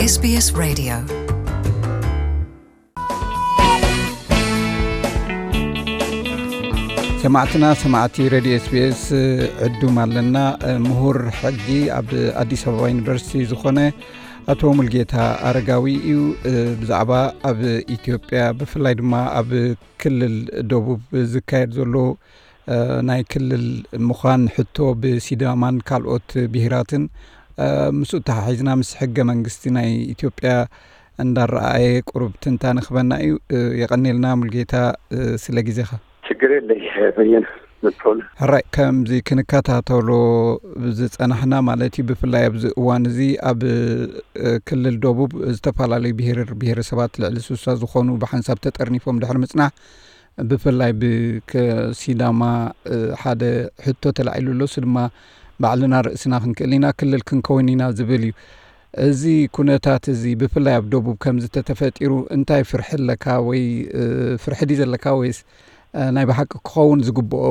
SBS Radio. ሰማዕትና ሰማዕቲ ሬድዮ ኤስቢኤስ ዕዱም ኣለና። ምሁር ሕጊ ኣብ ኣዲስ ኣበባ ዩኒቨርሲቲ ዝኾነ ኣቶ ሙልጌታ ኣረጋዊ እዩ። ብዛዕባ ኣብ ኢትዮጵያ ብፍላይ ድማ ኣብ ክልል ደቡብ ዝካየድ ዘሎ ናይ ክልል ምዃን ሕቶ ብሲዳማን ካልኦት ብሄራትን ምስኡ ተሓሒዝና ምስ ሕገ መንግስቲ ናይ ኢትዮጵያ እንዳረኣየ ቁሩብ ትንታነ ክበና እዩ። የቐኔልና ሙልጌታ ስለ ግዜኻ። ችግር የለይ በየነ መጥቶል። ሕራይ ከምዚ ክንከታተሎ ዝጸናሕና ማለት እዩ። ብፍላይ ኣብዚ እዋን እዚ ኣብ ክልል ደቡብ ዝተፈላለዩ ብሄር ብሄረሰባት ልዕሊ ስሳ ዝኾኑ ብሓንሳብ ተጠርኒፎም ድሕሪ ምጽናሕ ብፍላይ ብሲዳማ ሓደ ሕቶ ተላዒሉ ኣሎ። እሱ ድማ ባዕልና ርእስና ክንክእል ኢና፣ ክልል ክንከውን ኢና ዝብል እዩ። እዚ ኩነታት እዚ ብፍላይ ኣብ ደቡብ ከምዚ ተተፈጢሩ እንታይ ፍርሒ ኣለካ ወይ ፍርሒ ድዩ ዘለካ ወይስ ናይ ብሓቂ ክኸውን ዝግብኦ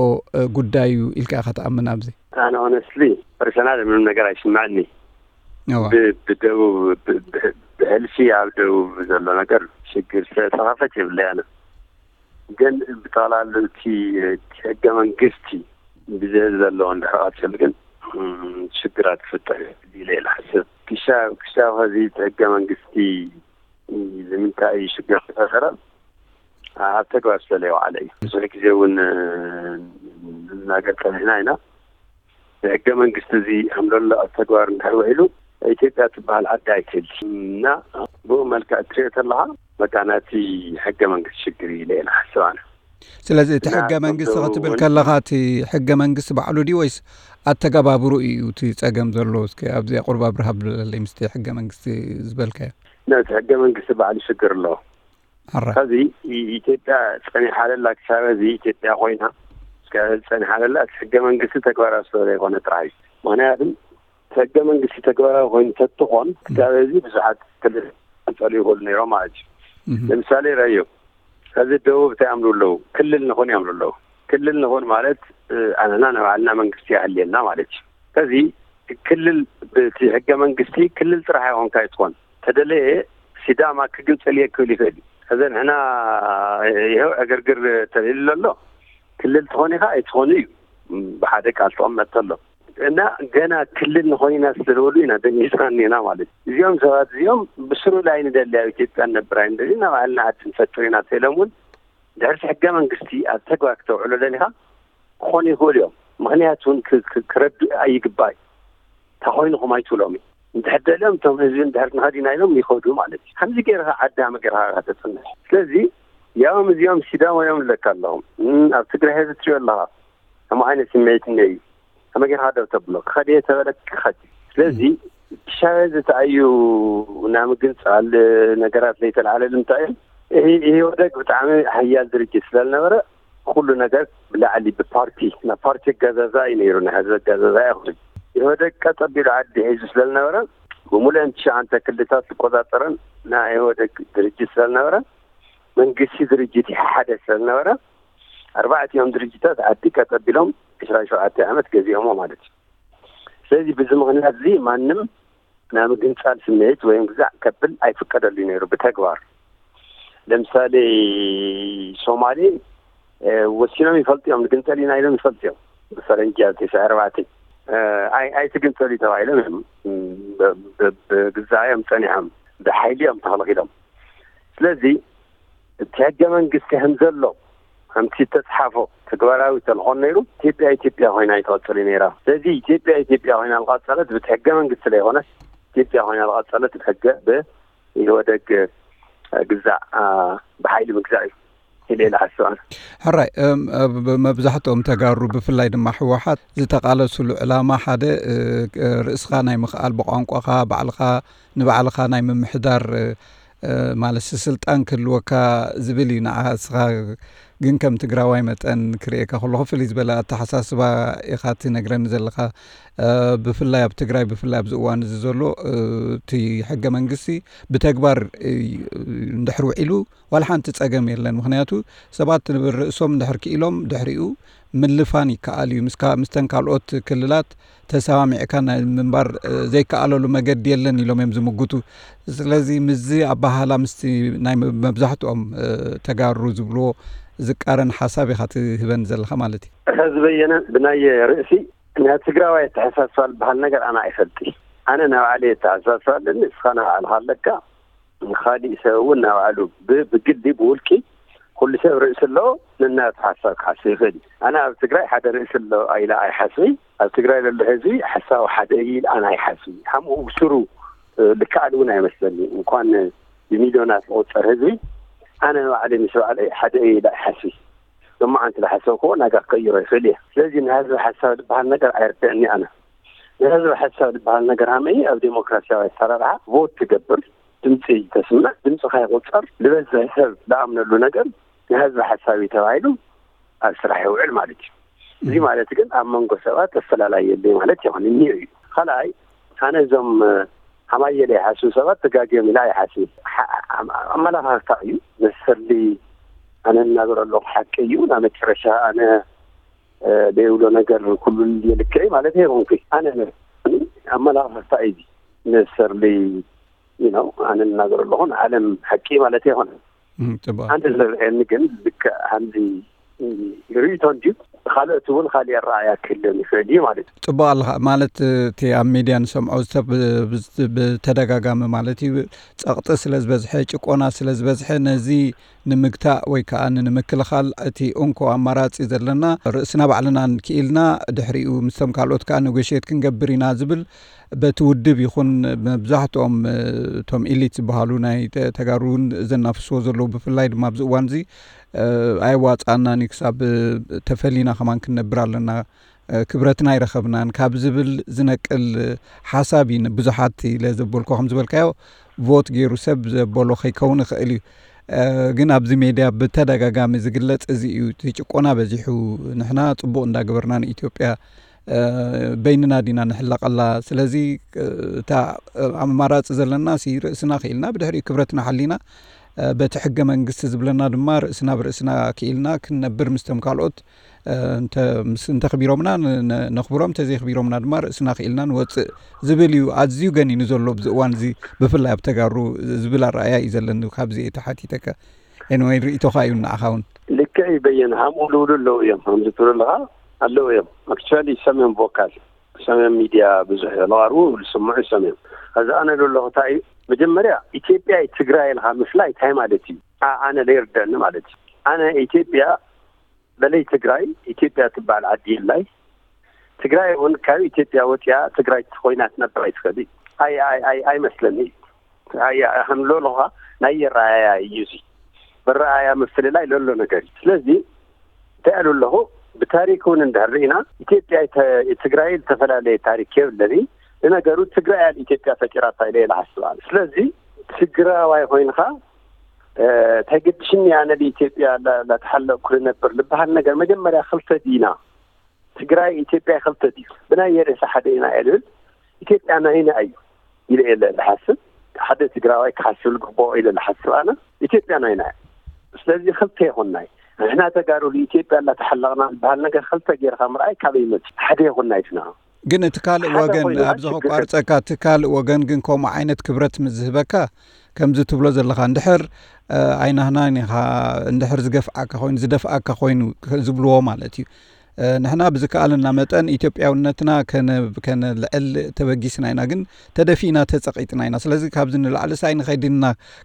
ጉዳይ እዩ ኢልካ ኢኻ ትኣምን? ኣብዚ ኣነ ሆነስትሊ ፐርሰናል ምንም ነገር ኣይስምዐኒ። ብደቡብ ብሕልፊ ኣብ ደቡብ ዘሎ ነገር ሽግር ስለተኸፈት የብለይ ኣነ ግን ብጠቕላሉ እቲ ሕገ መንግስቲ ብዘ ዘለዎ እንድሕር ቀፅል ግን ሽግራት ክፍጠር ኢለ ኢለ ሓስብ ክሻ ክሻ ከዚ እቲ ሕገ መንግስቲ ንምንታይ እዩ ሽግር ክፈጠረ ኣብ ተግባር ስለለይዋዓለ እዩ። ብዙሕ ግዜ እውን ንናገር ፀኒሕና ኢና። ብሕገ መንግስቲ እዚ ከም ዘሎ ኣብ ተግባር እንድሕር ውዒሉ ኢትዮጵያ ትበሃል ዓዲ ኣይትህል እና ብኡ መልክዕ እትሪኦ ተለካ በቃ ናቲ ሕገ መንግስቲ ሽግር እዩ ኢለ ኢና ሓስብ ኣነ። ስለዚ እቲ ሕገ መንግስቲ ክትብል ከለካ እቲ ሕገ መንግስቲ ባዕሉ ድዩ ወይስ ኣተገባብሩ እዩ እቲ ፀገም ዘሎ? እስኪ ኣብዚ ቁርብ ኣብርሃ ብለለይ ምስቲ ሕገ መንግስቲ ዝበልካዮ። ነቲ ሕገ መንግስቲ ባዕሉ ሽግር ኣለዎ። ሕዚ ኢትዮጵያ ፀኒሓለላ ክሳብ እዚ ኢትዮጵያ ኮይና እስከ ፀኒሓለላ እቲ ሕገ መንግስቲ ተግባራዊ ስለ ዘይኮነ ጥራሕ እዩ። ምክንያቱ እቲ ሕገ መንግስቲ ተግባራዊ ኮይኑ ተትኾን ክሳብ እዚ ብዙሓት ክልል ክፀሉ ይኽእሉ ነይሮም ማለት እዩ። ለምሳሌ ረዮ ከዚ ደቡብ እንታይ ኣምሩ ኣለዉ? ክልል ንኹን ይኣምሩ ኣለዉ። ክልል ንኹን ማለት ኣነና ንባዕልና መንግስቲ ያህልየና ማለት እዩ። ከዚ ክልል ብቲ ሕገ መንግስቲ ክልል ጥራሕ ይኾንካ ይትኾን ተደለየ ሲዳማ ክግንፅል እየ ክብል ይኽእል እዩ። ከዚ ንሕና ይኸው ዕግርግር ተልዕሉ ኣሎ። ክልል ትኾን ኢኻ ኣይትኾኑ እዩ ብሓደ ቃል ተቐመጥ ኣሎ እና ገና ክልል ንኾን ኢና ስለዝበሉ ኢና ደንጊፅና እኒና ማለት እዩ። እዚኦም ሰባት እዚኦም ብስሩ ላይ ንደሊ ኣብ ኢትዮጵያ ንነብር ኣይንደሊ ናብ ዓልና ዓዲ ንፈጥር ኢና ተኢሎም እውን ድሕርቲ ሕገ መንግስቲ ኣብ ተግባር ክተውዕሎ ደሊኻ ክኾኑ ይኽእሉ እዮም። ምክንያቱ እውን ክረዱ ኣይግባእ እዩ። እንታይ ኮይንኹም ኣይትብሎም እዩ። እንድሕር ደልዮም እቶም ህዝቢ እንድሕር ንኸድ ኢና ኢሎም ይኸዱ ማለት እዩ። ከምዚ ገይርካ ዓዲ ሃመ ገይርካ ኢኻ ተፅንሕ። ስለዚ ያውም እዚኦም ሲዳማ እዮም ኣለካ ኣለኹም ኣብ ትግራይ ህዝቢ ትሪኦ ኣለኻ ከምኡ ዓይነት ስምዒት እነ እዩ ከመይ ጌርካ ደው ተብሎ ክኸድ እየ ተበለ ክኸድ እዩ። ስለዚ ሻበ ዝተኣዩ ናይ ምግንፃል ነገራት ለይተለዓለሉ እንታይ እዩ ኢህወደግ ብጣዕሚ ሓያል ድርጅት ስለዝነበረ ኩሉ ነገር ብላዕሊ ብፓርቲ ናይ ፓርቲ ኣገዛዛ እዩ ነይሩ ናይ ህዝቢ ኣገዛዛ ኣይኮነን። ኢህወደግ ቀጥ ኣቢሉ ዓዲ ሒዙ ስለዝነበረ ብምሉአን ትሽዓንተ ክልታት ዝቆፃፀረን ናይ ኢህወደግ ድርጅት ስለዝነበረ መንግስቲ ድርጅት ሓደ ስለዝነበረ ኣርባዕቲኦም ድርጅታት ዓዲ ቀጥ ኣቢሎም ዕስራን ሸውዓተን ዓመት ገዚኦሞ ማለት እዩ። ስለዚ ብዚ ምክንያት እዚ ማንም ናይ ምግንፃል ስምዒት ወይ ግዛዕ ከብል ኣይፍቀደሉ ነይሩ ብተግባር። ለምሳሌ ሶማሌ ወሲኖም ይፈልጡ እዮም ንግንፀል ኢና ኢሎም ይፈልጡ እዮም። ብፈረንጂ ኣብ ተስዓ ኣርባዕተ ኣይትግንፀሉ ተባሂሎም እዮም ብግዛዕ እዮም ፀኒሖም ብሓይሊ እዮም ተኸልኪሎም። ስለዚ እቲ ሕገ መንግስቲ ከም ዘሎ ከምቲ ዝተፅሓፎ ተግባራዊ ተልኾን ነይሩ ኢትዮጵያ ኢትዮጵያ ኮይና ኣይትቐፅል ነይራ። ስለዚ ኢትዮጵያ ኢትዮጵያ ኮይና ዝቐፀለት ብቲ ሕገ መንግስቲ ዘይኮነስ ኢትዮጵያ ኮይና ዝቐፀለት ብሕገ ብኢህወደግ ግዛዕ ብሓይሊ ምግዛእ እዩ ኢለ ኢለ ሓስብ ኣነ። ሕራይ መብዛሕትኦም ተጋሩ ብፍላይ ድማ ህወሓት ዝተቓለሱሉ ዕላማ ሓደ ርእስኻ ናይ ምኽኣል ብቋንቋኻ ባዕልኻ ንባዕልኻ ናይ ምምሕዳር ማለት ስልጣን ክህልወካ ዝብል እዩ። ንዓኻ እስኻ ግን ከም ትግራዋይ መጠን ክርእየካ ከለኹ ፍልይ ዝበለ ኣተሓሳስባ ኢኻ ትነግረኒ ዘለኻ። ብፍላይ ኣብ ትግራይ ብፍላይ ኣብዚ እዋን እዚ ዘሎ እቲ ሕገ መንግስቲ ብተግባር እንድሕር ውዒሉ ዋላ ሓንቲ ጸገም የለን። ምኽንያቱ ሰባት ንርእሶም እንድሕር ክኢሎም ድሕሪኡ ምልፋን ይከኣል እዩ። ምስካ-፣ ምስተን ካልኦት ክልላት ተሰማሚዕካ ናይ ምንባር፣ እ፣ ዘይከኣለሉ መገዲ የለን ኢሎም እዮም ዝምጉቱ። ስለዚ ምስዚ ኣበሃህላ ምስቲ ናይ መ-፣ መብዛሕትኦም፣ እ፣ ተጋሩ ዝብልዎ ዝቃረን ሓሳብ ኢኻ ትህበን ዘለኻ ማለት እዩ። ሕዚ በየነ ብናይ ርእሲ ናይ ትግራዋይ ኣተሓሳስባ ዝበሃል ነገር ኣነ ኣይፈልጥ። ኣነ ናይ ባዕለይ ኣተሓሳስባ ኣለኒ፣ ንስኻ ናይ ባዕልኻ ኣለካ። ንኻሊእ ሰብ እውን ናይ ባዕሉ ብ-፣ ብግዲ ብውልቂ ኩሉ ሰብ ርእሲ ኣለዎ፣ ነናቱ ሓሳብ ክሓስብ ይኽእል እዩ። ኣነ ኣብ ትግራይ ሓደ ርእሲ ኣሎ ኢለ ኣይሓስብን። ኣብ ትግራይ ዘሎ ህዝቢ ሓሳቡ ሓደ እዩ ኢለ ኣነ ኣይሓስብን። ሓምኡ ብስሩ፣ እ፣ ልክኣል እውን ኣይመስለኒ። እንኳን ብሚልዮናት ዝቑፀር ህዝቢ ኣነ ባዕለይ ምስ ባዕለይ ሓደ እዩ ኢለ ኣይሓስብን። ሎማዓንቲ ዝሓሰብክዎ ናጋ ክቀይሮ ይኽእል እየ። ስለዚ ናይ ህዝቢ ሓሳብ ዝበሃል ነገር ኣይርድእኒ ኣነ። ናይ ህዝቢ ሓሳብ ዝበሃል ነገር ሃመይ ኣብ ዴሞክራሲያዊ ኣሰራርሓ ቮት ትገብር፣ ድምፂ ተስምዕ፣ ድምፅኻ ይቑፀር፣ ዝበዝሕ ሰብ ዝኣምነሉ ነገር ናይ ህዝቢ ሓሳብ እዩ ተባሂሉ ኣብ ስራሕ ይውዕል ማለት እዩ። እዚ እም። ማለት ግን ኣብ መንጎ ሰባት ኣፈላላይ የለይ ማለት ይኾን እኒኦ እዩ። ካልኣይ፣ ኣነ እዞም፣ እ፣ ሃማየለ ይሓስቡ ሰባት ተጋግዮም ኢላ ይሓስብ። ሓ-፣ ኣም-፣ ኣመላኻኽታ እዩ። ነሰርሊ ኣነ እናገረ ኣለኹ ሓቂ እዩ። ናብ መጨረሻ ኣነ፣ እ፣ ዘይብሎ ነገር ኩሉ የልክዕ ማለት ኣይኮንኩ። ኣነ ኣመላኻኽታ እዩ። ነሰርሊ፣ you know፣ ኣነ እናገረ ኣለኹ ንዓለም ሓቂ ማለት ኣይኮነ። እም፣ ጽቡቕ። ኣንተ ዝረኣየኒ ግን ልክዕ ከምዚ ርእይቶ እንድዩ። ካልኦት እውን ካልእ ኣረኣእያ ክህልዮም ይኽእል እዩ ማለት እዩ። ጽቡቕ ኣለኻ። ማለት፣ እቲ ኣብ ሜድያ ንሰምዖ ዝተ-፣ ብ-፣ ብ-፣ ብተደጋጋሚ ማለት እዩ፣ ጸቕጢ ስለ ዝበዝሐ፣ ጭቆና ስለ ዝበዝሐ፣ ነዚ ንምግታእ ወይ ከኣ ንምክልኻል እቲ እንኮ ኣማራጺ ዘለና ርእስና ባዕልና ክኢልና፣ ድሕሪኡ ምስቶም ካልኦት ከኣ ነጎሽየት ክንገብር ኢና ዝብል በቲ ውድብ ይኹን መብዛሕትኦም፣ እ፣ እቶም ኢሊት ዝበሃሉ ናይ ተ-፣ ተጋሩ እውን ዘናፍስዎ ዘለዉ፣ ብፍላይ ድማ ኣብዚ እዋን እዚ፣ እ፣ ኣየዋጽኣናን እዩ፣ ክሳብ፣ እ፣ ተፈሊና ከማን ክንነብር ኣለና፣ እ፣ ክብረትና ኣይረኸብናን ካብ ዝብል ዝነቅል፣ እ፣ ሓሳብ እዩ። ብዙሓት ኢለ ዘበልኩ ከም ዝበልካዮ ቮት ገይሩ ሰብ ዘበሎ ከይከውን ይኽእል እዩ። እ፣ ግን ኣብዚ ሜድያ ብተደጋጋሚ ዝግለጽ እዚ እዩ። እቲ ጭቆና በዚሑ፣ ንሕና ጽቡቕ እንዳገበርና ንኢትዮጵያ እ፣ በይንና ዲና ንሕለቐላ። ስለዚ፣ እ፣ እታ፣ እ፣ ኣማራጺ ዘለና ሲ ርእስና ክኢልና፣ ብድሕሪኡ ክብረትና ሓሊና፣ እ፣ በቲ ሕገ መንግስቲ ዝብለና ድማ ርእስና ብርእስና ክኢልና ክንነብር ምስቶም ካልኦት፣ እ፣ እንተ-፣ ምስ-፣ እንተኽቢሮምና ን-፣ ን-፣ ነኽብሮም፣ እንተዘይኽቢሮምና ድማ ርእስና ክኢልና ንወጽእ ዝብል እዩ ኣዝዩ ገኒኑ ዘሎ ኣብዚ እዋን እዚ፣ ብፍላይ ኣብ ተጋሩ ዝብል ኣረኣእያ እዩ ዘለኒ። ካብዚ እየ ተሓቲተካ። ኤንወይ ርእይቶኻ እዩ ንዓኻ እውን። ልክዕ እዩ በየነ፣ ሃምኡ ልውሉ ኣለዉ እዮም። ከምዚ ትብሉ ኣለኻ ኣለዉ እዮም። ኣክቹዋሊ ሰሜን ቮካል፣ ሰሜን ሚድያ ብዙሕ ለዋርቡ ዝስምዑ ሰሜን። ከዚ ኣነ ልብሎ እንታይ እዩ፣ መጀመርያ ኢትዮጵያ ትግራይ ኢልካ ምፍላይ እንታይ ማለት እዩ? ኣ-፣ ኣነ ለይርደኒ ማለት እዩ። ኣነ ኢትዮጵያ በለይ ትግራይ፣ ኢትዮጵያ ትበሃል ዓዲ የላይ። ትግራይ እውን ካብ ኢትዮጵያ ወፂኣ ትግራይ ኮይና ትነብር ኣይትኽእል እዩ። ኣይ-፣ ኣይ-፣ ኣይ-፣ ኣይመስለኒ እዩ። ኣያ፣ ከም ለለኻ ናይ የረኣያ እዩ እዚ። በረኣያ ምፍልላይ ለሎ ነገር እዩ። ስለዚ እንታይ ኣሉ ኣለኹ፣ ብታሪክ እውን እንድሕር ርኢና ኢትዮጵያ ተ-፣ ትግራይ ዝተፈላለየ ታሪክ የብለኒ። ንነገሩ ትግራይ ኣብ ኢትዮጵያ ፈጢራታ ኢለ እየ ዝሓስብ ኣነ። ስለዚ ትግራዋይ ኮይንካ፣ እ፣ ተገድሽኒ ኣነ ብኢትዮጵያ ላ-፣ ላተሓለቕኩ ልነብር ልበሃል ነገር መጀመርያ ክልተ ዲና ትግራይ ኢትዮጵያ ክልተ ድዩ? ብናይ የርእሲ ሓደ ኢና እየ ልብል። ኢትዮጵያ ናይና እዩ ኢለ እየ ዝሓስብ። ሓደ ትግራዋይ ክሓስብ ዝግብኦ ኢለ ዝሓስብ ኣነ ኢትዮጵያ ናይና እያ። ስለዚ ክልተ ይኹናይ። ንሕና ተጋሩ ኢትዮጵያ እናተሓለቕና ዝበሃል ነገር ክልተ ጌርካ ምርኣይ ካበይ ይመጽእ? ሓደ ይኹናይ ንሕና። ግን እቲ ካልእ ሓደ ወገን፣ ኮይኑ ኣብዚ ኣችግር ከቋርጸካ፣ እቲ ካልእ ወገን ግን ከምኡ ዓይነት ክብረት ምስ ዝህበካ፣ ከምዚ ትብሎ ዘለኻ፣ እንድሕር፣ እ፣ ኣይናህናን ኢኻ፣ እንድሕር ዝገፍዓካ ኮይኑ፣ ዝደፍኣካ ኮይኑ፣ ክ-፣ ዝብልዎ ማለት እዩ። እ፣ ንሕና ብዝከኣለና መጠን ኢትዮጵያውነትና ከነ-፣ ከነልዕል ተበጊስና ኢና፣ ግን ተደፊእና፣ ተጸቒጥና ኢና። ስለዚ ካብዚ ንላዕሊ ሳይ ንኸይድና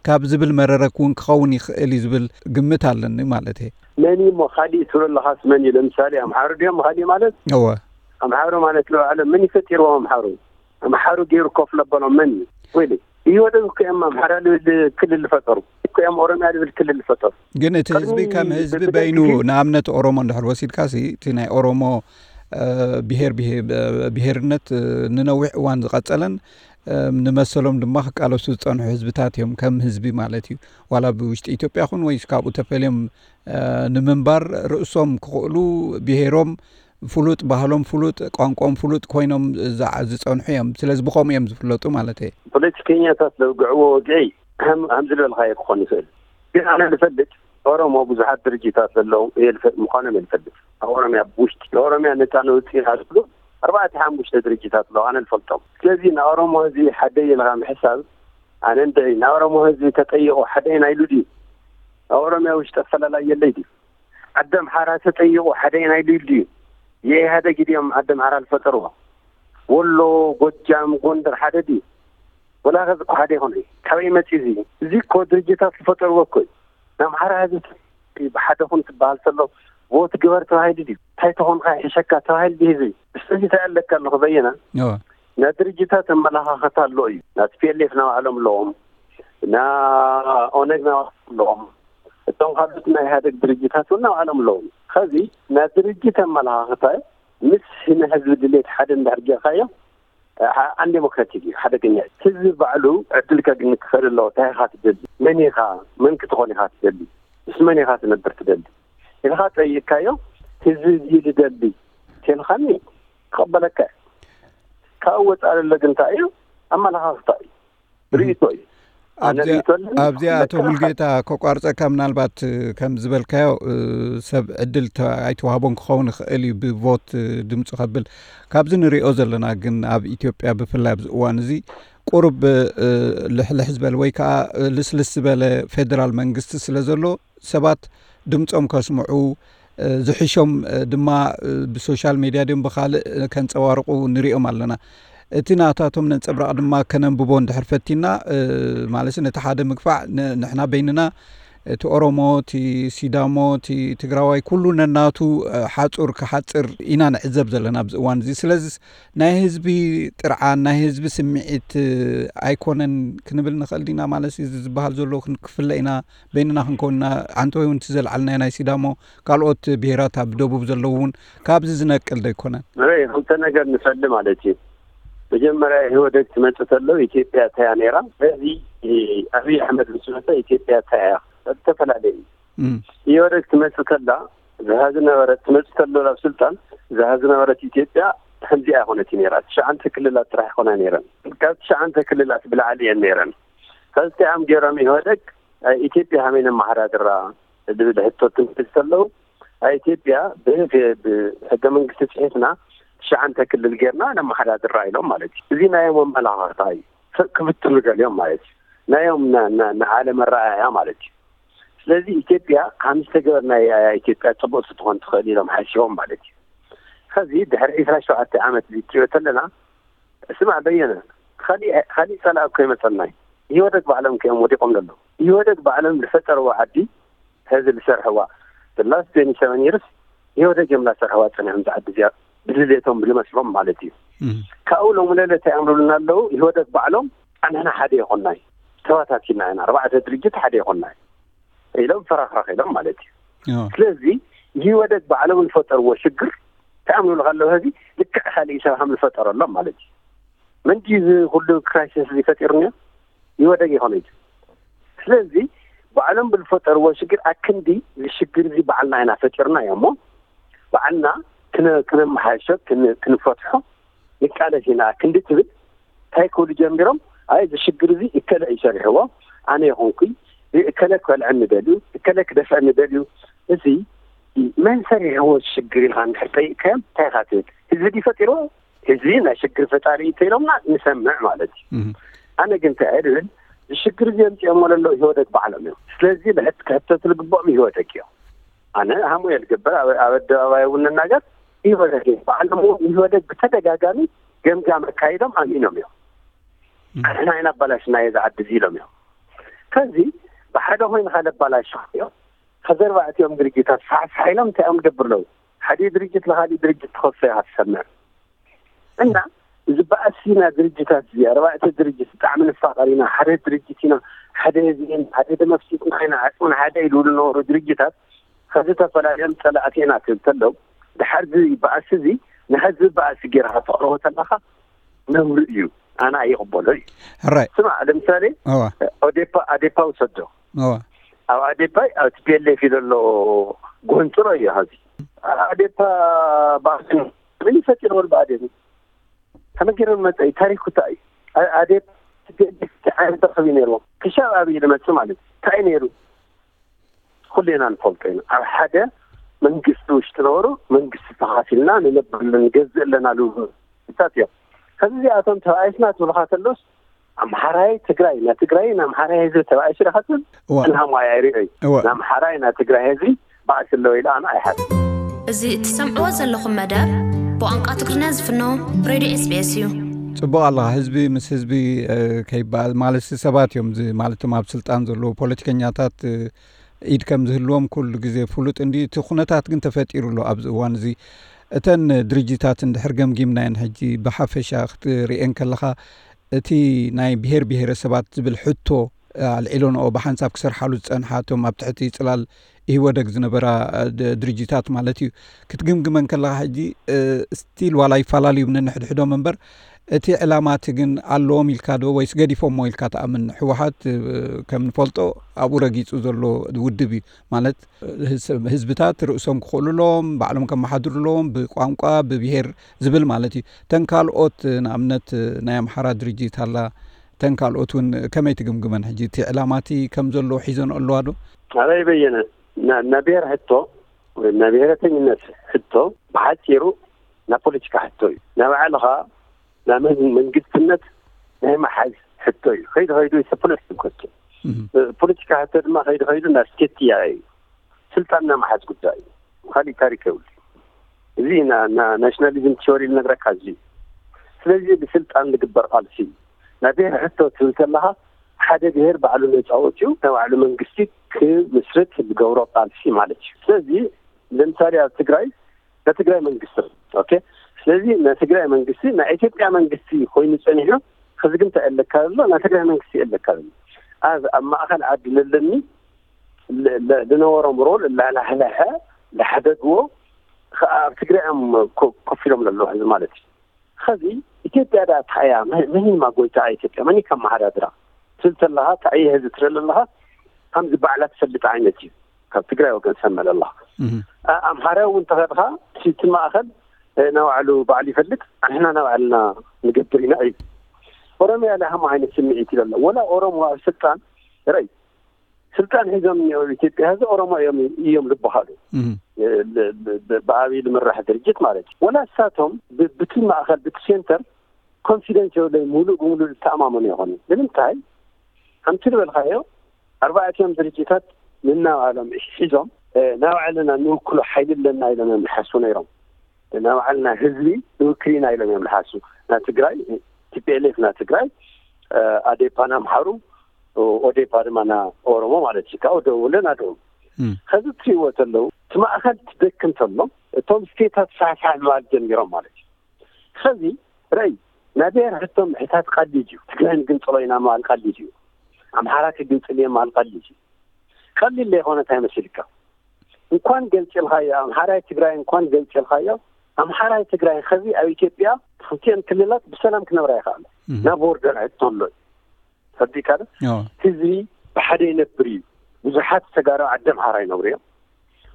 ካብ ዝብል መረረ እውን ክኸውን ይኽእል እዩ ዝብል ግምት ኣለኒ ማለት እየ። መን እዩ እሞ ካሊእ ትብሎ ኣለኻስ መን እዩ? ለምሳሌ ኣምሓሩ ድዮም ካሊእ ማለት? እወ። ኣምሓሩ ማለት ለባዕሎም መን እዩ ፈጢርዎም ኣምሓሩ? ኣምሓሩ ገይሩ ኮፍ ለበሎም መን እዩ? ወይለ ኢህወደግ እኮ እዮም ኣምሓራ ልብል ክልል ዝፈጠሩ፣ እኮ እዮም ኦሮሚያ ልብል ክልል ዝፈጠሩ። ግን እቲ ህዝቢ ቅድሚ ከም ህዝቢ በደርጊ በይኑ፣ ግዜ ንኣብነት ኦሮሞ እንድሕር ወሲድካሲ፣ እቲ ናይ ኦሮሞ፣ እ፣ ብሄር፣ ብሄ-፣ ብሄርነት፣ እ፣ ንነዊሕ እዋን ዝቐጸለን፣ እ፣ ንመሰሎም ድማ ክቃለሱ ዝጸንሑ ህዝብታት እዮም፣ ከም ህዝቢ ማለት እዩ። ዋላ ብውሽጢ ኢትዮጵያ ኹን ወይስ ካብኡ ተፈልዮም፣ እ፣ ንምንባር ርእሶም ክኽእሉ፣ ብሄሮም ፍሉጥ፣ ባህሎም ፍሉጥ፣ ቋንቋኦም ፍሉጥ ኮይኖም ዝዓ-፣ ዝጸንሑ እዮም። ስለዚ ብኸምኡ እዮም ዝፍለጡ ማለት እየ። ፖለቲከኛታት ዘውግዕዎ ወግዒ ከም፣ ከም ዝበልካዮ ክኾን ይኽእል። ግን ኣነ ዝፈልጥ ኦሮሞ ብዙሓት ድርጅታት ዘለዉ ምዃኖም የልፈልጥ። ኣብ ኦሮምያ ብውሽጢ ንኦሮምያ ነፃ ነውፅኢና ዝብሉ ኣርባዕተ ሓሙሽተ ድርጅታት ኣለዉ፣ ኣነ ዝፈልጦም። ስለዚ ንኦሮሞ ህዝቢ ሓደ ኢልካ ምሕሳብ ኣነ እንድዒ። ንኦሮሞ ህዝቢ ተጠይቑ ሓደ ኢና ኢሉ ድዩ? ኣብ ኦሮምያ ውሽጢ ኣፈላላይ የለይ ድዩ? ዓዲ ኣምሓራ ተጠይቑ ሓደ ኢና ኢሉ ድዩ? የኢህደግ ድዮም ዓዲ ኣምሓራ ዝፈጠርዎ? ወሎ፣ ጎጃም፣ ጎንደር ሓደ ድዩ? ወላ ከዚ እኮ ሓደ ይኾነ እዩ። ካበይ መፂ እዚ? እዚ እኮ ድርጅታት ዝፈጠርዎ እኮ እዩ። ንኣምሓራ ህዝቢ ብሓደ ኩን ትበሃል ተሎ፣ ቮት ግበር ተባሂሉ ድዩ? እንታይ ተኾንካ ይሕሸካ ተባሂሉ ድዩ ህዝቢ? ስለዚ እንታይ ኣለካ ኣለኹ በየና? ናይ ድርጅታት ኣመለኻኸታ ኣሎ እዩ። ና ቲ ፒ ኤል ኤፍ ናባዕሎም ኣለዎም፣ ና ኦነግ ናባዕሎም ኣለዎም፣ እቶም ካልኦት ናይ ኢህኣደግ ድርጅታት እውን ናባዕሎም ኣለዎም። ከዚ ናይ ድርጅት ኣመለኻኸታ ምስ ንህዝቢ ድሌት ሓደ እንድሕር ጌርካዮ ኣን ዴሞክራቲክ እዩ፣ ሓደገኛ እዩ። ህዝቢ ባዕሉ ዕድል ከግኒ ክኽእል ኣለዎ። እንታይ ኢኻ ትደሊ? መን ኢኻ? መን ክትኾን ኢኻ ትደሊ? ምስ መን ኢኻ ትነብር ትደሊ? ኢልካ ጠይቅካዮ፣ ህዝቢ እዚ ዝደሊ ተልኻኒ ክቕበለካ እዩ። ካብ ወፃእ ዘሎ ግን እንታይ እዩ? ኣመለኻኽታ እዩ፣ ርእይቶ እዩ። ኣነ ኣብዚ ርእይቶ ኣለኒ፣ ኣብዚ ኣቶ ክመክር ሙልጌታ ከቋርፀካ፣ ምናልባት ከም ዝበልካዮ ሰብ ዕድል ኣይተዋህቦን ክኸውን ይኽእል እዩ፣ ብቮት ድምፁ ከብል። ካብዚ ንሪኦ ዘለና ግን ኣብ ኢትዮጵያ ብፍላይ ኣብዚ እዋን እዚ ቁሩብ ልሕልሕ ዝበለ ወይ ከዓ ልስልስ ዝበለ ፌደራል መንግስቲ ስለ ዘሎ ሰባት ድምፆም ከስምዑ ዝሕሾም ድማ ብሶሻል ሜድያ ድዮም ብኻልእ ከንፀባርቑ ንሪኦም ኣለና። እቲ ናታቶም ነንፀብራቕ ድማ ከነንብቦ እንድሕር ፈቲና ማለት ነቲ ሓደ ምግፋዕ ንሕና በይንና እቲ ኦሮሞ፣ እቲ ሲዳሞ፣ እቲ ትግራዋይ ኩሉ ነናቱ ሓፁር ክሓፅር ኢና ንዕዘብ ዘለና ኣብዚ እዋን እዚ። ስለዚ ናይ ህዝቢ ጥርዓን ናይ ህዝቢ ስምዒት ኣይኮነን ክንብል ንኽእል ዲና? ማለት እዚ ዝበሃል ዘሎ ክንክፍለ ኢና በይንና ክንከውንና ኣንተ ወይ እውን እቲ ዘልዓልናዮ ናይ ሲዳሞ ካልኦት ብሄራት ኣብ ደቡብ ዘለዉ እውን ካብዚ ዝነቅል ዶ ኣይኮነን? ንርኢ ክልተ ነገር ንፈሊ ማለት እዩ። መጀመርያ ኢህወደግ ትመፅእ ተሎ ኢትዮጵያ እንታይ እያ ነይራ? በዚ ኣብይ ኣሕመድ ምስ መፀ ኢትዮጵያ እንታይ እያ? ዝተፈላለየ እዩ። ኢህወደግ ትመፅእ ተላ እዛ ዝነበረት ትመፅእ ተሎ ናብ ስልጣን እዛ ዝነበረት ኢትዮጵያ ከምዚኣ ኣይኮነትን ነይራ። ትሽዓንተ ክልላት ጥራሕ ይኮና ነይረን። ካብ ትሽዓንተ ክልላት ብላዕሊ እየን ነይረን። ከዚ እንታይ እዮም ገይሮም ኢህወደግ ኢትዮጵያ ከመይ ነመሓዳድራ ዝብል ሕቶ ትምልስ ተለዉ፣ ኣብ ኢትዮጵያ ብህገ መንግስቲ ፅሒፍና ትሽዓንተ ክልል ጌርና ነመሓዳድራ ኢሎም ማለት እዩ። እዚ ናዮም ኣመላኻኽታ እዩ። ክብትኑ ደልዮም ማለት እዩ። ናዮም ንዓለም ኣረኣእያ ማለት እዩ። ስለዚ ኢትዮጵያ ከም ዝተገበርና ኢትዮጵያ ፅቡቅ ክትኾን ትኽእል ኢሎም ሓሲቦም ማለት እዩ። ከዚ ድሕሪ ዕስራ ሸውዓተ ዓመት እዚ ትሪኦ ተለና ስማዕ በየነ፣ ካሊእ ጸላእ እኮ ይመጸልና እዩ። ኢህወደግ ባዕሎም እዮም ወዲቆም ዘለዉ። ኢህወደግ ባዕሎም ዝፈጠርዎ ዓዲ ሕዚ ዝሰርሕዋ the last twenty seven years ኢህወደግ እዮም ላሰርሕዋ ጸኒሖም እዛ ዓዲ እዚኣ ብድሌቶም ብዝመስሎም ማለት እዩ። ካብኡ ሎም ለለ እንታይ ኣምሩልና ኣለዉ? ኢህወደግ ባዕሎም ኣንሕና ሓደ ይኾንና እዩ፣ ተባታቲና ኢና፣ ኣርባዕተ ድርጅት ሓደ ይኾንና እዩ ኢሎም ፈራኽራኽ ኢሎም ማለት እዩ። ስለዚ ኢህወደግ ባዕሎም ዝፈጠርዎ ሽግር እንታይ ኣምሩሉ ኣለዉ? ሕዚ ልክዕ ካልእ ኢሳብ ከም ዝፈጠረሎም ማለት እዩ። መን ድዩ እዚ ኩሉ ክራይሲስ እዚ ፈጢሩኒ? ኢህወደግ ይኾነ እዩ። ስለዚ ባዕሎም ብዝፈጠርዎ ሽግር ኣክንዲ እዚ ሽግር እዚ ባዕልና ኢና ፈጢርና እዮም እሞ ባዕልና ክነመሓይሾ ክንፈትሖ ንቃለስ ኢና ክንዲ ትብል እንታይ ክብሉ ጀሚሮም? ኣይ እዚ ሽግር እዚ እከለ እዩ ሰሪሕዎ፣ ኣነ ይኹንኩይ እከለ ክበልዐኒ ደልዩ፣ እከለ ክደፍአኒ ደልዩ። እዚ መን ሰሪሕዎ ሽግር ኢልካ እንድሕር ጠይቅካዮም እንታይ ኢኻ ትብል? ህዝቢ ድዩ ፈጢርዎ? ህዝቢ ናይ ሽግር ፈጣሪ እዩ ተኢሎምና ንሰምዕ ማለት እዩ። ኣነ ግን እንታይ እየ ዝብል፣ እዚ ሽግር እዚ ኣምፂኦሞ ዘለዉ ኢህወደግ ባዕሎም እዮም። ስለዚ ክሕተቱ ዝግብኦም ኢህወደግ እዮም። ኣነ ሃሙኤል ግበር ኣብ ኣደባባይ እውን ንናገር ኢህወደግ እዮም። ባዕሎም እውን ኢህወደግ ብተደጋጋሚ ገምጋም ኣካይዶም ኣሚኖም እዮም። ንሕና ኢና ኣባላሽናዮ እዚ ዓዲ እዚ ኢሎም እዮም። ከዚ ብሓደ ኮይንካ ለባላሽ እዮም። ከዚ ኣርባዕቲኦም ድርጅታት ሳሕሳሕ ኢሎም እንታይ እዮም ዝገብር ኣለዉ? ሓደ ድርጅት ንካሊእ ድርጅት ትኸሶ ኢኻ ትሰምዕ እና እዚ በኣሲና ድርጅታት እዚ ኣርባዕተ ድርጅት ብጣዕሚ ንፋቐር ኢና፣ ሓደ ድርጅት ኢና፣ ሓደ ህዝቢ ኢና፣ ሓደ ደም ኣፍሲስና ኢና፣ ዓፅምና ሓደ ኢሉ ዝነበሩ ድርጅታት ከዚ ተፈላለዮም ፀላእቲ ኢና ትብል ተለው ድሓር እዚ በኣሲ እዚ ንህዝቢ በኣሲ ጌርካ ተቕርቦ ተለካ ነውሪ እዩ። ኣነ ኣይቕበሎ እዩ። ሕራይ። ስማ ለምሳሌ እዋ። ኦዴፓ ኣዴፓ ውሰዶ። እዋ። ኣብ ኣዴፓ ኣብ ቲ ፒ ኤል ኤፍ እዩ ዘሎ ጎንፅሎ እዩ ሀዚ ኣዴፓ ባዕሉ ምን ይፈጢርዎ ብኣዴን ከመይ ገይሮም መፀ እዩ ታሪክ ኩታ እዩ ኣዴፓ ቲ ፒ ኤል ኤፍ እንታይ ዓይነት ረኸቢ ነይርዎም ክሻብ ኣብይ ዝመፅእ ማለት እዩ እንታይ ነይሩ ኩሌና ንፈልጦ ኢና። ኣብ ሓደ መንግስቲ ውሽጢ ነበሩ፣ መንግስቲ ተኻፊልና ንነብር፣ ንገዝእ ኣለና ልብሉ ታት እዮም። ከዚ እዚኣቶም ተባኢስና ትብልካ ተሎስ፣ ኣምሓራይ ትግራይ፣ ናይ ትግራይ ንኣምሓራይ ህዝቢ ተባኢሱ ዳኻ ትብል? እዋ። ንሃማይ ኣይርእዮይ። እዋ። ንኣምሓራይ ናይ ትግራይ ህዝቢ ባእሲ ኣለዎ ኢለ ኣነ ኣይሓስብ። እዚ እትሰምዕዎ ዘለኹም መደብ ብቋንቋ ትግርኛ ዝፍኖ ሬድዮ ኤስቢኤስ እዩ። ጽቡቕ ኣለኻ። ህዝቢ ምስ ህዝቢ፣ እ፣ ከይበኣል ማለት ሰባት እዮም፣ እዚ ማለትም ኣብ ስልጣን ዘለዉ ፖለቲከኛታት፣ እ፣ ኢድ ከም ዝህልዎም ኩሉ ግዜ ፍሉጥ እንዲ። እቲ ኩነታት ግን ተፈጢሩ ኣሎ ኣብዚ እዋን እዚ። እተን ድርጅታት እንድሕር ገምጊምናየን ሕጂ ብሓፈሻ ክትርእየን ከለኻ፣ እቲ ናይ ብሄር ብሄረሰባት ዝብል ሕቶ ኣልዒሎንኦ ብሓንሳብ ክሰርሓሉ ዝጸንሓ፣ እቶም ኣብ ትሕቲ ጽላል ኢህወደግ ዝነበራ፣ እ፣ ድ-፣ ድርጅታት ማለት እዩ። ክትግምግመን ከለኻ ሕጂ፣ እ፣ ስቲል ዋላ ይፈላለዩ ነንሕድሕዶም እምበር፣ እቲ ዕላማ እቲ ግን ኣለዎም ኢልካ ዶ ወይስ ገዲፎሞ ኢልካ ትኣምን? ህወሓት፣ እ፣ ከም ንፈልጦ ኣብኡ ረጊጹ ዘሎ ውድብ እዩ። ማለት ህዝ-፣ ህዝብታት ርእሶም ክኽእሉ ኣለዎም፣ ባዕሎም ከመሓድሩ ኣለዎም፣ ብቋንቋ፣ ብብሄር ዝብል ማለት እዩ። እተን ካልኦት፣ ንኣብነት ናይ ኣምሓራ ድርጅት ኣላ፣ እተን ካልኦት እውን ከመይ ትግምግመን? ሕጂ እቲ ዕላማ እቲ ከም ዘለዎ ሒዘን ኣለዋ ዶ? ኣበይ በየነ፣ ና-፣ ናይ ብሄር ሕቶ ወይ ናይ ብሄረተኝነት ሕቶ ብሓፂሩ ናይ ፖለቲካ ሕቶ እዩ። ናይ ባዕልኻ ናይ መን-፣ መንግስትነት ናይ መሓዝ ሕቶ እዩ። ከይዱ ከይዱ it's a political question። እህ። ፖለቲካ ሕቶ ድማ ከይዱ ከይዱ ናብ ስቴት ጥያቄ እዩ። ስልጣን ናይ መሓዝ ጉዳይ እዩ። ካሊእ ታሪክ የብሉ። እዚ ና-፣ ና-፣ ናሽናሊዝም ቲዮሪ ዝነግረካ እዚ እዩ። ስለዚ ብስልጣን ዝግበር ቃልሲ እዩ። ናይ ብሄር ሕቶ ትብል ከለኻ ሓደ ብሄር ባዕሉ ነፃ ወፂኡ ናይ ባዕሉ መንግስቲ ክምስርት ዝገብሮ ቃልሲ ማለት እዩ። ስለዚ ለምሳሌ ኣብ ትግራይ ናይ ትግራይ መንግስቲ፣ ኦኬ፣ ስለዚ ናይ ትግራይ መንግስቲ ናይ ኢትዮጵያ መንግስቲ ኮይኑ ጸኒሑ፣ ሕዚ ግን እንታይ ኣለካ ዘሎ? ናይ ትግራይ መንግስቲ ኣለካ ዘሎ። ኣብ፣ ኣብ ማእከል ዓዲ ለለኒ ለ-፣ ለ-፣ ዝነበሮም ሮል ላላሕላሐ፣ ላሕደግዎ፣ ከ-፣ ኣብ ትግራይ እዮም ኮ-፣ ኮፍ ኢሎም ዘለዉ ሕዚ ማለት እዩ። ኸዚ ኢትዮጵያ ደኣ እንታይ እያ? መ-፣ መን እዩ ማጎይታ ኢትዮጵያ? መን እዩ ከመሓዳድራ? ትብል ተለኻ፣ እንታይ እየ ሕዚ ትብል ኣለኻ? ከምዚ ባዕላ ትፈልጥ ዓይነት እዩ። ካብ ትግራይ ወገን ሰመለ ኣለኻ። እህ። ኣ-፣ ኣምሓራይ እውን ተኸድኻ፣ እቲ፣ እቲ ማእኸል፣ እ፣ ናባዕሉ ባዕሉ ይፈልጥ፣ ኣንሕና ናባዕልና ንገብር ኢና እዩ። ኦሮሚያ ላይ ሃም ዓይነት ስምዒት እዩ ዘሎ። ወላ ኦሮሞ ኣብ ስልጣን፣ ርኣይ፣ ስልጣን ሒዞም እኒኦ ኣብ ኢትዮጵያ ሕዚ ኦሮሞ እዮም፣ እዮም ዝበሃሉ። እህ። እ፣ ብ-፣ ብ-፣ ብ-፣ ብኣብይ ዝምራሕ ድርጅት ማለት እዩ። ወላ እሳቶም ብ-፣ ብቲ ማእኸል፣ ብቲ ሴንተር ኮንፊደንስ የብለይ፣ ሙሉእ ብሙሉእ ዝተኣማመኑ ይኾኑ። ንምንታይ? ከምቲ ዝበልካዮ፣ ኣርባዕቲኦም ድርጅታት ንናባዕሎም ሒዞም፣ እ፣ ናባዕልና ንውክሎ ሓይሊ ኣለና ኢሎም እዮም ዝሓስቡ ነይሮም። ናባዕልና ህዝቢ ንውክል ኢና ኢሎም እዮም ዝሓስቡ። ናይ ትግራይ፣ ቲ ፒ ኤል ኤፍ ናይ ትግራይ፣ እ፣ ኣዴፓ ናይ ኣምሓሩ፣ ኦዴፓ ድማ ናይ ኦሮሞ ማለት እዩ። ካብኡ ደው ብለን ኣድኡ። እም። ኸዚ እትሪእዎ ተለዉ፣ እቲ ማእኸል ትደክም ተሎ፣ እቶም ስቴታት ሳሕሳሕ ምባል ጀሚሮም ማለት እዩ። ኸዚ ረይ፣ ናይ ብሔር ሕቶ ምሕታት ቀሊል እዩ። ትግራይ ንግንጽሎ ኢና ምባል ቀሊል እዩ። ኣምሓራ ክግንጽል እየ ምባል ቀሊል እዩ። ቀሊል ዘይኮነ እንታይ መሲልካ? እንኳን ገንጽልካዮ፣ ኣምሓራይ ትግራይ እንኳን ገንጽልካዮ፣ ኣምሓራይ ትግራይ ኸዚ ኣብ ኢትዮጵያ ክልቲኤን ክልላት ብሰላም ክነብራ ይኽኣላ። እም። ናብ ቦርደር ሕቶ ኣሎ እዩ። ፈዲካ ዶ? ኣዎ። ህዝቢ ብሓደ ይነብር እዩ። ብዙሓት ተጋሩ ዓዲ ኣምሓራ ይነብሩ እዮም።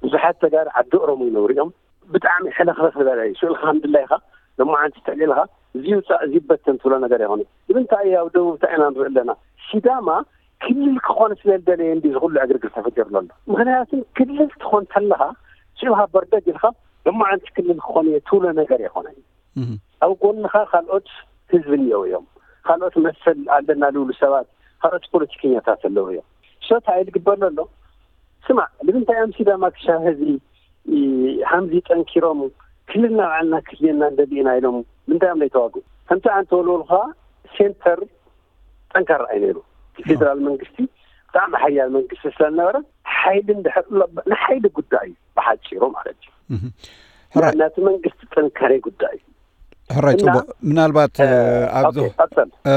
ብዙሓት ተጋሩ ዓዲ ኦሮሞ ይነብሩ እዮም። ብጣዕሚ ሕልኽልኽ ዝበለ እዩ። ስእልካ ከም ድላይካ፣ ሎማዓንቲ ተዕሊልካ፣ እዚ ይውፃእ፣ እዚ ይበተን ትብሎ ነገር ኣይኮነን። ንምንታይ ኣብ ደቡብ እንታይ ኢና ንርኢ ኣለና? ሲዳማ ክልል ክኾን ስለ ዝደለየ እንዲ እዚ ኩሉ ዕግርግር ተፈጢሩ ዘሎ። ምኽንያቱ ክልል ትኾን ተለኻ፣ ስእልካ በርደግ ኢልካ፣ ሎማዓንቲ ክልል ክኾን እየ ትብሎ ነገር ኣይኮነን። እህ። ኣብ ጎንኻ ካልኦት ህዝቢ እኒአው እዮም። ካልኦት መሰል ኣለና ዝብሉ ሰባት፣ ካልኦት ፖለቲከኛታት ኣለዉ እዮም። ሶ እንታይ ዝግበር ዘሎ? ስማዕ፣ ንምንታይ እዮም ሲዳማ ክሻ ህዝቢ፣ እ፣ ሃምዚ ጠንኪሮም ክልልና ባዕልና ክልልና እንደሊ ኢና ኢሎም ምንታይ እዮም ዘይተዋግኡ? ከምቲ ኣንተ ወልወልኻ ሴንተር ጠንካራ እዩ ነይሩ። እቲ ፌደራል መንግስቲ ብጣዕሚ ሓያል መንግስቲ ስለዝነበረ፣ ሓይሊ እንድሕር ኣሎ፣ ንሓይሊ ጉዳይ እዩ ብሓፂሩ ማለት እዩ። እህ። ሕራይ። ነቲ መንግስቲ ጥንካሬ ጉዳይ እዩ። ሕራይ፣ እና፣ ጽቡቕ። ምናልባት፣ እ፣ እ፣ ኣብዚ፣ ኦኬ፣ ቀጽል። እ፣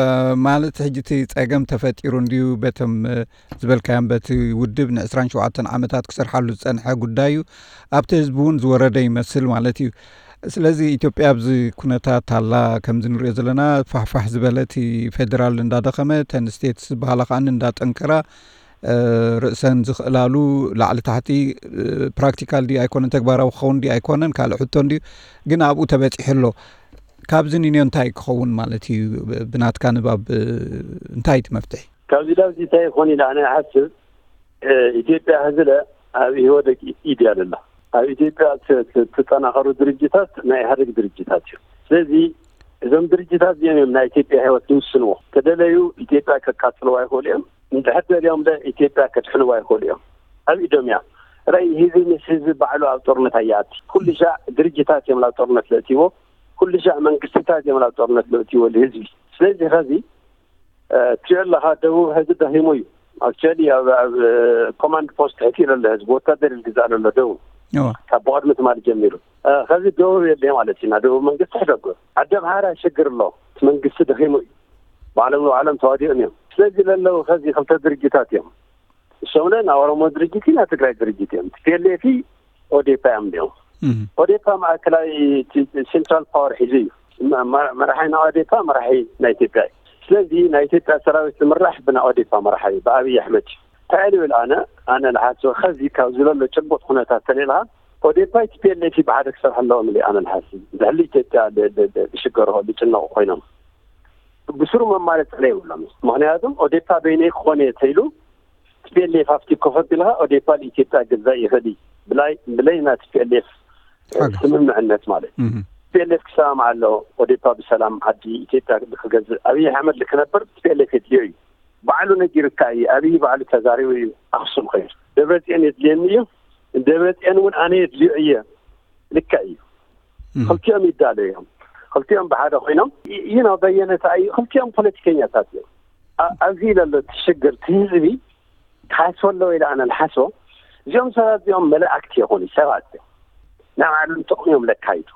ማለት ሕጂ እቲ ጸገም ተፈጢሩ እንድዩ፣ በቶም፣ እ፣ ዝበልካዮም በቲ ውድብ ንዕስራን ሸውዓተን ዓመታት ክሰርሓሉ ዝጸንሐ ጉዳይ እዩ። ኣብቲ ህዝቢ እውን ዝወረደ ይመስል ማለት እዩ። ስለዚ ኢትዮጵያ ኣብዚ ኩነታት ኣላ፣ ከምዚ ንሪኦ ዘለና ፋሕፋሕ ዝበለ፣ እቲ ፌደራል እንዳደኸመ፣ እተን ስቴትስ ዝበሃላ ከኣ እንዳጠንከራ፣ እ፣ ርእሰን ዝኽእላሉ ላዕሊ ታሕቲ፣ እ፣ ፕራክቲካል ድዩ ኣይኮነን፣ ተግባራዊ ክኸውን ድዩ ኣይኮነን፣ ካልእ ሕቶ እንድዩ፣ ግን ኣብኡ ተበጺሑ ኣሎ። ካብዚ ንንዮ እንታይ ክኸውን ማለት እዩ? ብ-፣ ብናትካ ንባብ፣ እ፣ እንታይ እቲ መፍትሒ? ካብዚ ላብዚ እንታይ ይኾን ኢለ ኣነ ይሓስብ፣ እ፣ ኢትዮጵያ ሕዚ ለ ኣብ ኢህወደግ ኢድ እያ ዘላ። ኣብ ኢትዮጵያ ት- ት- ትጠናኸሩ ድርጅታት ናይ ኢህወደግ ድርጅታት እዩ። ስለዚ እዞም ድርጅታት እዚኦም እዮም ናይ ኢትዮጵያ ህይወት ዝውስንዎ። ተደለዩ ኢትዮጵያ ከቃጽልዋ ይኽእሉ እዮም። እንድሕር ደልዮም ለ ኢትዮጵያ ከድሕንዋ ይኽእሉ እዮም። ኣብ ኢዶም እያ። ራይ ህዝቢ ምስ ህዝቢ ባዕሉ ኣብ ጦርነት ኣያት ኩሉ ሻዕ ድርጅታት እዮም ናብ ጦርነት ለእትዎ። ኩሉ ሻዕ መንግስትታት እዮም ናብ ጦርነት ለእትዎ ህዝቢ። ስለዚ ኸዚ ትሪኦ ኣለኻ፣ ደቡብ ህዝቢ ደኺሙ እዩ። ኣክቹዋሊ ኣብ ኣብ ኮማንድ ፖስት ሕቲሉ ኣሎ ህዝቢ፣ ወታደር ይግዛእ ኣሎ ደቡብ። ካብ ብቐድሚ ትማሊ ጀሚሩ ከዚ ደቡብ የለ ማለት እዩ። ደቡብ መንግስቲ ሕደጎ ኣደ ምሃራ ሽግር ኣሎ። እቲ መንግስቲ ደኺሙ እዩ። ባዕሎም ንባዕሎም ተዋዲኦም እዮም። ስለዚ ለለው ከዚ ክልተ ድርጅታት እዮም። እሶም ለ ናብ ኦሮሞ ድርጅት ኢና ትግራይ ድርጅት እዮም። ቲፒኤልኤፍ ኦዴፓ እዮም ዲኦም። ኦዴፓ ማእከላይ ሴንትራል ፓወር ሒዙ እዩ። መራሒ ናይ ኦዴፓ መራሒ ናይ ኢትዮጵያ እዩ። ስለዚ ናይ ኢትዮጵያ ሰራዊት ዝምራሕ ብናይ ኦዴፓ መራሒ ብኣብይ ኣሕመድ እዩ። እንታይ ኢሉ ይብል? ኣነ ኣነ ዝሓስበ ከዚ ካብ ዝለሎ ጭቡጥ ኩነታት ተሌልካ ኦዴፓ ቲፒኤልኤፍ ብሓደ ክሰርሕ ኣለዎም ኢሉ ኣነ ዝሓስብ። ዝሕሉ ኢትዮጵያ ዝሽገርሆ ዝጭነቑ ኮይኖም ብስሩ መማለጥ የብሎም። ምክንያቱም ኦዴፓ በይነይ ክኾን እየ ተይሉ ቲፒኤልኤፍ ኣብቲ ኮፈት ኢልካ ኦዴፓ ንኢትዮጵያ ገዛእ ይኽእል እዩ። ብላይ ብለይ ናይ ቲፒኤልኤፍ ስምምዕነት ማለት ቲፒኤልኤፍ ክሰማማዕ ኣለዎ። ኦዴፓ ብሰላም ዓዲ ኢትዮጵያ ክገዝእ ኣብይ ኣሕመድ ክነብር ቲፒኤልኤፍ የድልዮ እዩ። ባዕሉ ነጊርካ እዩ። ኣብይ ባዕሉ ተዛሪቡ እዩ። ኣክሱም ኮይኑ ደብረፅዮን የድልየኒ እዩ። ደብረፅዮን እውን ኣነ የድልዮ እየ። ልክዕ እዩ። ክልቲኦም ይዳለዩ እዮም። ክልቲኦም ብሓደ ኮይኖም ይኖ በየነታ እዩ። ክልቲኦም ፖለቲከኛታት እዮም። ኣብዚ ዘሎ እቲ ሽግር እቲ ህዝቢ ክሓስበ ኣለዎ ኢለ ኣነ ዝሓስቦ እዚኦም ሰባት እዚኦም መላእክቲ ይኾኑ ሰባት እዮም። ናይ ባዕሎም ጥቕሚ እዮም ለካይዱ።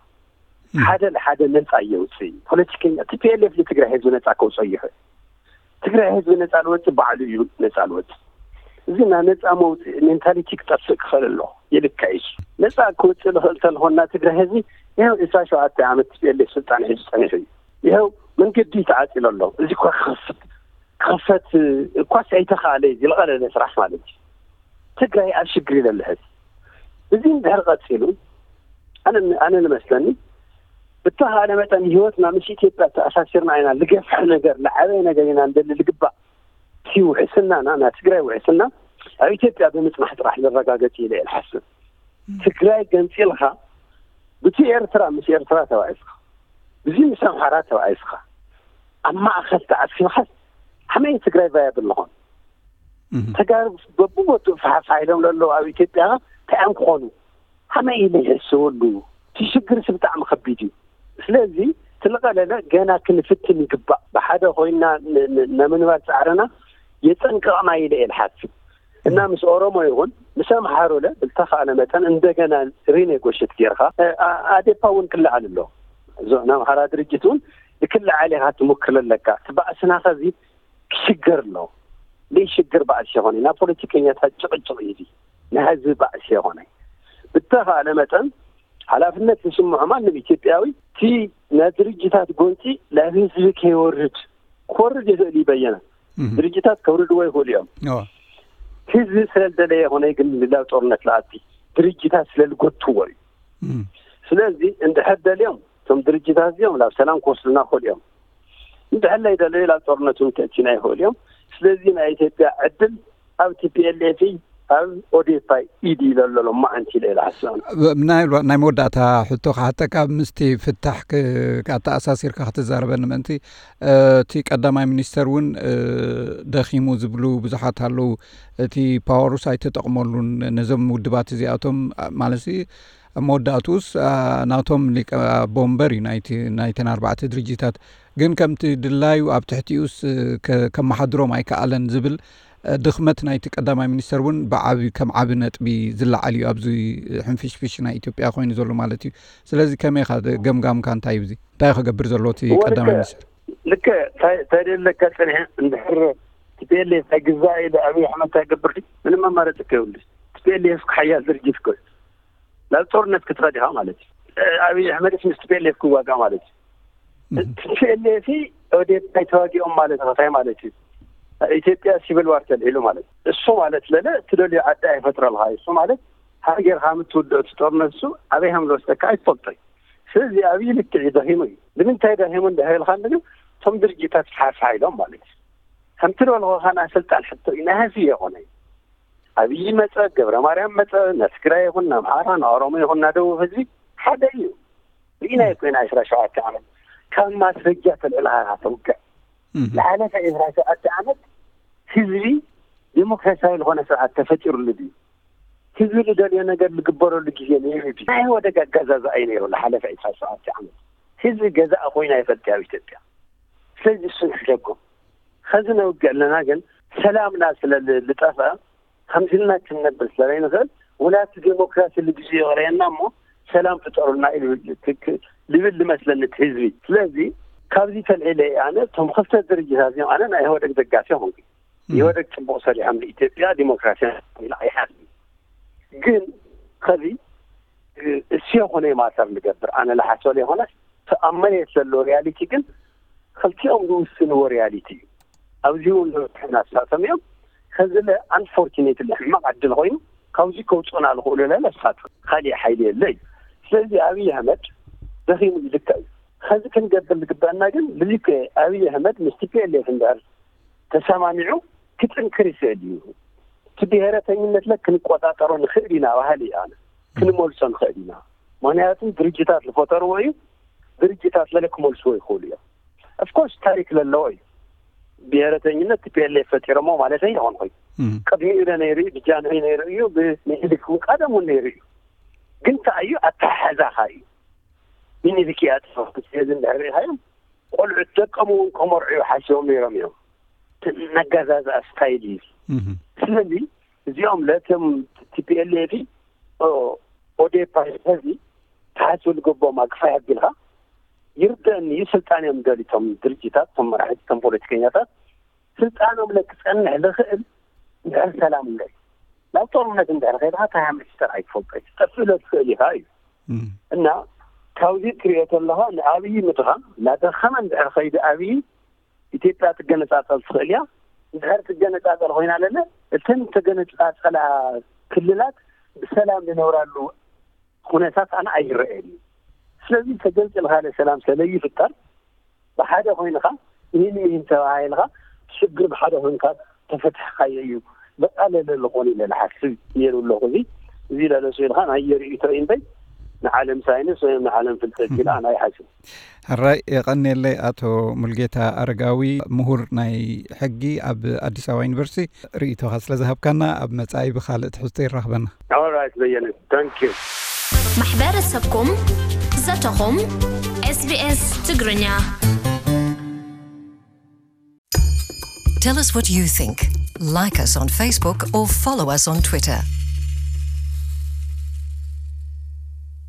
ሓደ ለሓደ ነፃ የውፅእ እዩ። ፖለቲከኛ ቲፒኤልኤፍ ንትግራይ ህዝቢ ነፃ ከውፅኦ ይኽእል። ትግራይ ህዝቢ ነፃ ልወፅእ ባዕሉ እዩ ነፃ ልወፅእ። እዚ ናይ ነፃ መውፅእ ሜንታሊቲ ክጠፍእ ክኽእል ኣሎ። ይልካ እዩ። ነፃ ክወፅእ ልኽእል ተልኾና ትግራይ ህዝቢ ይኸው ዕስራ ሸውዓተ ዓመት ቲፒኤልኤፍ ስልጣን ሒዙ ፀኒሑ እዩ። ይኸው መንገዲ ተዓፂሎ ኣሎ። እዚ እኳ ክኸፍት ክኸፈት እኳስ ኣይተኻእለ እዩ። ዝለቐለለ ስራሕ ማለት እዩ። ትግራይ ኣብ ሽግር ይለለ ህዝቢ እዚ እንድሕር ቀፂሉ ኣነ ኣነ ንመስለኒ ብተኻእለ መጠን ህይወትና ምስ ኢትዮጵያ ተኣሳሲርና ኢና ልገፍሐ ነገር ልዓበየ ነገር ኢና እንደሊ ልግባእ እቲ ውሕስናና ናይ ትግራይ ውሕስና ኣብ ኢትዮጵያ ብምፅናሕ ጥራሕ ዝረጋገፅ ኢለ እየ ዝሓስብ። ትግራይ ገንፂልካ ብቲ ኤርትራ ምስ ኤርትራ ተባኢስካ ብዚ ምስ ኣምሓራ ተባኢስካ ኣብ ማእኸል ተዓፂብካ ከመይ ትግራይ ቫያብል ዝኾን? ተጋሩ በብቦትኡ ፋሕፋሕ ኢሎም ለለዉ ኣብ ኢትዮጵያ እንታይ እዮም ክኾኑ? ከመይ ኢለ ይሕስበሉ? እቲ ሽግርስ ብጣዕሚ ከቢድ እዩ። ስለዚ ትልቐለለ ገና ክንፍትን ይግባእ። ብሓደ ኮይና ን- ን- ንምንባር ፃዕርና የፀንቅቕና ኢለ እየ ዝሓስብ። እና ምስ ኦሮሞ ይኹን ምስ ኣምሓሩ ለ ብልተኻእለ መጠን እንደገና ሪኔጎሽት ጌርካ እ፣ ኣ- ኣዴፓ እውን ክለዓል ኣሎ። እዞ ናይ ኣምሓራ ድርጅት እውን ንክለዓል ኢኻ ትሞክር ኣለካ። እቲ ባእስና ከዚ ክሽገር ኣሎ። ዘይሽግር ባእሲ የኾነ ናይ ፖለቲከኛታት ጭቕጭቕ እዩ። ናይ ህዝቢ ባእሲ የኾነ ብተኻእለ መጠን ሓላፍነት ዝስምዖ ማንም ኢትዮጵያዊ እቲ ናይ ድርጅታት ጎንፂ ናብ ህዝቢ ከይወርድ ክወርድ ይኽእል እዩ። በየነ ድርጅታት ከውርድዎ ይኽእሉ እዮም። ህዝቢ ስለዝደለየ የኾነ ግን ናብ ጦርነት ለኣቲ ድርጅታት ስለዝጎትዎ እዩ። ስለዚ እንድሕር ደልዮም እቶም ድርጅታት እዚኦም ናብ ሰላም ክወስዱና ይኽእሉ እዮም። እንድሕር ዘይደለዩ ናብ ጦርነት እውን ከእትዩና ይኽእሉ እዮም። ስለዚ ናይ ኢትዮጵያ ዕድል ኣብ ቲፒኤልኤፍ ኣብ ኦዴፓ ኢድ ኢለ ኣሎ ሎማዓንቲ ኢለ ኢለ ሓስብ። ናይ ናይ መወዳእታ ሕቶ ክሓተካ ምስቲ ፍታሕ ኣተኣሳሲርካ ክትዛረበኒ ምእንቲ እቲ ቀዳማይ ሚኒስተር እውን ደኺሙ ዝብሉ ብዙሓት ኣለዉ። እቲ ፓወሩስ ኣይተጠቕመሉን ነዞም ውድባት እዚኣቶም ማለት ኣብ መወዳእትኡስ ናቶም ሊቀ ቦምበር እዩ ናይተን ኣርባዕተ ድርጅታት ግን ከምቲ ድላዩ ኣብ ትሕቲኡስ ከመሓድሮም ኣይከኣለን ዝብል ድኽመት ናይቲ ቀዳማይ ሚኒስተር እውን ብዓቢ ከም ዓቢ ነጥቢ ዝለዓል እዩ ኣብዚ ሕንፍሽፍሽ ናይ ኢትዮጵያ ኮይኑ ዘሎ ማለት እዩ። ስለዚ ከመይ ኢኻ ገምጋምካ እንታይ እዩ እዚ እንታይ ክገብር ዘለዎ እቲ ቀዳማይ ሚኒስተር? ልክዕ እንታይ እንታይ ደለካ ጸኒሐ እንድሕር ቲፒኤልኤፍ ኣይግዛእ ኢለ ኣብይ ኣሕመድ እንታይ ገብር ድዩ? ምንም ኣማራጺ ከይብሉ ቲፒኤልኤፍ ሓያል ድርጅት እኮ እዩ። ናብ ጦርነት ክትኸድ ኢኻ ማለት እዩ። ኣብይ ኣሕመድስ ምስ ቲፒኤልኤፍ ክዋጋእ ማለት እዩ። ቲፒኤልኤፍ ኦዴፓ ኣይተዋጊኦም ማለት እንታይ ማለት እዩ? ኢትዮጵያ ሲቪል ዋር ተልዒሉ ማለት እዩ። እሱ ማለት ለለ እትደልዮ ዓዲ ኣይፈጥረልካ እዩ። እሱ ማለት ሃገርካ ምትውድኦ እቲ ጦርነት እሱ ኣበይ ከም ዝወስደካ ኣይትፈልጦ እዩ። ስለዚ ኣብይ ልክዕ እዩ ደኺሙ እዩ። ንምንታይ ደኺሙ እንድሕር ኢልካ እንደግን እቶም ድርጅታት ሓፋ ኢሎም ማለት እዩ። ከምቲ ዝበልኩኻ ናይ ስልጣን ሕቶ እዩ፣ ናይ ህዝቢ የኾነ እዩ። ኣብይ መጸ፣ ገብረ ማርያም መጸ፣ ናብ ትግራይ ይኹን ናብ ኣምሓራ፣ ናብ ኦሮሞ ይኹን ናብ ደቡብ ህዝቢ ሓደ እዩ። ርኢናዮ ኮይና ዕስራ ሸውዓተ ዓመት ካብ ማስረጃ ተልዕልካ ተውግዕ። ዝሓለፈ ዕስራ ሸውዓተ ዓመት ህዝቢ ዴሞክራሲያዊ ዝኾነ ስርዓት ተፈጢሩሉ ድዩ? ህዝቢ ዝደልዮ ነገር ዝግበረሉ ግዜ ነይሩ ድዩ? ናይ ኢህወደግ ኣገዛዝኣ እዩ ነይሩ ዝሓለፈ ዕስራ ሸውዓተ ዓመት። ህዝቢ ገዛእ ኮይኑ ኣይፈልጥ ኣብ ኢትዮጵያ። ስለዚ እሱ ንሕደጎ። ኸዚ ነውግዕ ኣለና ግን ሰላምና ስለ ል- ዝጠፍአ ከምዚ ኢልና ክንነብር ስለ ዘይንኽእል ወላ እቲ ዴሞክራሲ ልግዜ ይቕረየና እሞ ሰላም ፍጠሩልና ኢሉ ክ- ክ- ልብል ዝመስለኒ እቲ ህዝቢ። ስለዚ ካብዚ ተልዒለ ኣነ እቶም ክልተ ድርጅታት እዚኦም ኣነ ናይ ኢህወደግ ደጋፊ ኾንኩ። ኢህወደግ ጽቡቕ ሰሪሖም ንኢትዮጵያ ዲሞክራሲ ኢላ ኣይሓስብን። ግን ኸዚ እሱ የኾነ ማተር ንገብር ኣነ ለሓስበ ዘይኮነስ እቲ ኣብ መሬት ዘሎ ሪያሊቲ ግን ክልቲኦም ዝውስንዎ ሪያሊቲ እዩ። ኣብዚ እውን ለውጥና ኣሳተም እዮም። ከዚ ለ ኣንፎርቹኔትሊ ሕማቕ ዕድል ኮይኑ ካብዚ ከውፅኡና ዝኽእሉ ለ ለሳት ካሊእ ሓይሊ የለ እዩ። ስለዚ ኣብይ ኣህመድ ደኺሙ ዝልካ እዩ። ከዚ ክንገብር ዝግበአና ግን ልልከ ኣብይ ኣህመድ ምስ ቲፒኤልኤፍ እንድሕር ተሰማሚዑ ክጥንክር ይኽእል እዩ። እቲ ብሄረተኝነት ለ ክንቆጣጠሮ ንኽእል ኢና ባህሊ እዩ ኣነ ክንመልሶ ንኽእል ኢና። ምክንያቱ ድርጅታት ዝፈጠርዎ እዩ። ድርጅታት ለለ ክመልስዎ ይኽእሉ እዮም። ኦፍኮርስ ታሪክ ለለዎ እዩ። ብሄረተኝነት ቲፒኤልኤፍ ፈጢሮሞ ማለት ኣይኮንኩይ። ቅድሚኡ ለ ነይሩ እዩ፣ ብጃንሆይ ነይሩ እዩ፣ ብምኒልክ እውን ቀደም እውን ነይሩ እዩ። ግን እንታይ እዩ ኣተሓሕዛኻ እዩ። ምኒልክ እያ ጥፋ ስለዚ እንድሕር ርኢኻዮም ቆልዑት ደቀም እውን ከመርዑ ሓሲቦም ነይሮም እዮም። ነጋዛዝኣ ስታይል እዩ። ስለዚ እዚኦም ለቶም ቲፒኤልኤፍ ኦዴፓ ዚ ተሓስቡ ዝገቦም ኣግፋይ ኣቢልካ ይርደአኒ እዩ። ስልጣን እዮም ደሊቶም ድርጅታት ቶም መራሕቲ ቶም ፖለቲከኛታት ስልጣኖም ለክፀንሕ ዝኽእል እንድሕር ሰላም እምበር ናብ ጦርነት እንድሕር ከይድካ እንታይ ሃመሽተር ኣይትፈልጦ ትጠፍእ ለትኽእል ኢኻ እዩ። እና ካብዚ ትሪኦ ተለኻ ንኣብይ ምድኻ እናደኸመ እንድሕር ከይዲ ኣብይ ኢትዮጵያ ትገነፃፀል ትኽእል እያ። እንድሕር ትገነፃፀል ኮይና ለለ እተን ተገነፃፀላ ክልላት ብሰላም ዝነብራሉ ኩነታት ኣነ ኣይረአየን እዩ። ስለዚ ተገንፂልካ ለሰላም ሰለይፍጠር ብሓደ ኮይንካ ይህን ይህን ተባሂልካ ሽግር ብሓደ ኮይንካ ተፈትሕካዮ እዩ። በቃ ለለ ዝኾነ ኢለ ዝሓስብ ነይሩ ኣለኹ። እዚ እዚ ለለሱ ኢልካ ናይ የርእይቶ እዩ እምበይ ንዓለም ሳይንስ ወይ ንዓለም ፍልጠት ኢላ ናይ ሓስብ። ሕራይ የቐንየለይ ኣቶ ሙልጌታ ኣረጋዊ፣ ምሁር ናይ ሕጊ ኣብ ኣዲስ ኣበባ ዩኒቨርሲቲ፣ ርእይቶኻ ስለ ዝሃብካና። ኣብ መጻኢ ብኻልእ ትሕዝቶ ይራኽበና። ኦራይት በየነ፣ ታንክ ዩ። ማሕበረሰብኩም ዘተኹም። SBS ትግርኛ። Tell us what you think. Like us on Facebook or follow us on Twitter.